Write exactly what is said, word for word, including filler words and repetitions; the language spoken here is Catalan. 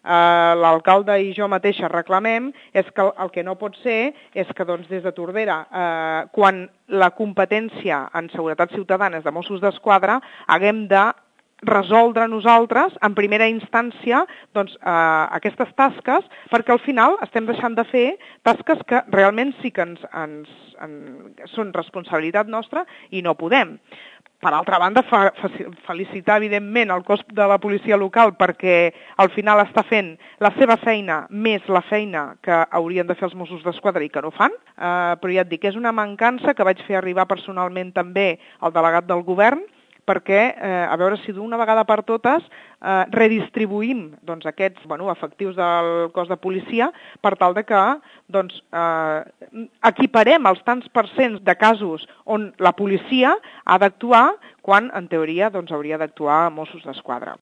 eh, l'alcalde i jo mateixa reclamem és que el que no pot ser és que doncs, des de Tordera, eh, quan la competència en seguretat ciutadana és de Mossos d'Esquadra, haguem de resoldre nosaltres, en primera instància, doncs, eh, aquestes tasques, perquè al final estem deixant de fer tasques que realment sí que ens, ens, en, són responsabilitat nostra i no podem. Per altra banda, fa, fa, felicitar, evidentment, el cos de la policia local perquè al final està fent la seva feina més la feina que haurien de fer els Mossos d'Esquadra i que no fan, eh, però ja et dic, és una mancança que vaig fer arribar personalment també al delegat del govern, perquè, eh, a veure si d'una vegada per totes eh, redistribuïm doncs, aquests bueno, efectius del cos de policia per tal de que doncs, eh, equiparem els tants percents de casos on la policia ha d'actuar quan, en teoria, doncs, hauria d'actuar Mossos d'Esquadra.